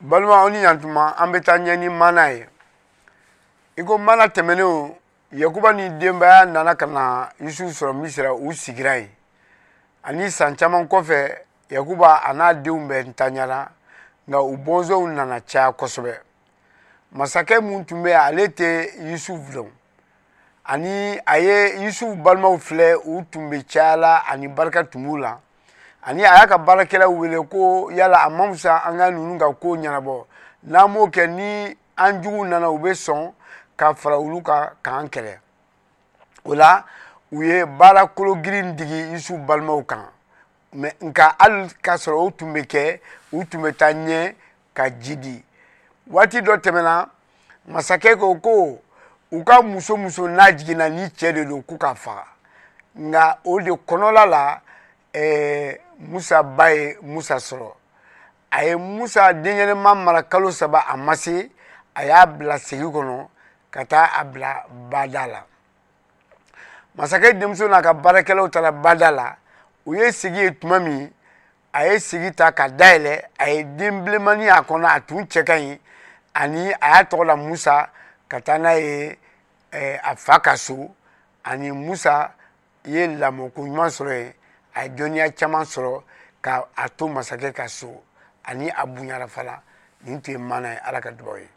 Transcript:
Balima, aw ni ɲantuma. An bɛ taa ɲɛ ni mana ye. I ko mana tɛmɛnenw, Yakuba ni denbaya nana ka na Yusufu sɔrɔ Misira. U sigira yen. Ani san caman kɔfɛ, Yakuba a n'a denw bɛɛ ntanyara, nka u bɔnsɔnw nana caya kosɛbɛ. Masakɛ mun tun bɛ yen, ale tɛ Yusufu dɔn. Ani a ye Yusufu balimaw filɛ, u tun bɛ caya la ani barika tun b'u la. Ani a y'a ka baarakɛlaw wele ko yala a ma fisa an ka ninnu ka ko ɲɛnabɔ? N'an m'o kɛ, ni an juguw nana, u bɛ sɔn ka fara olu kan k'an kɛlɛ. O la, u ye baara kologirin digi Yusufu balimaw kan. Mɛ nka hali k'a sɔrɔ o tun bɛ kɛ, u tun bɛ taa ɲɛ ka ji di. Waati dɔ tɛmɛna, masakɛ ko ko u ka muso muso n'a jiginna ni cɛ de don, k'u ka faga. Nka o de kɔnɔla la, Musa ba ye Musa sɔrɔ. A ye Musa denyɛrɛma mara kalo 3. A ma se, a y'a bila segi kɔnɔ ka taa a bila bada la. Masakɛ denmuso n'a ka baarakɛlaw taara bada la. U ye segi ye tuma min, a ye segi ta ka dayɛlɛ, a ye den bilenmani a kɔnɔ. A tun cɛ ka ɲi, ani a y'a tɔgɔ la Musa, ka taa n'a ye a fa ka so. Ani Musa ye lamɔko ɲuman sɔrɔ yen. A ye dɔnniya caman sɔrɔ ka a to masakɛ ka so, ani a bonyara fana. Nin tun ye maana ye. Ala ka dugawu ye.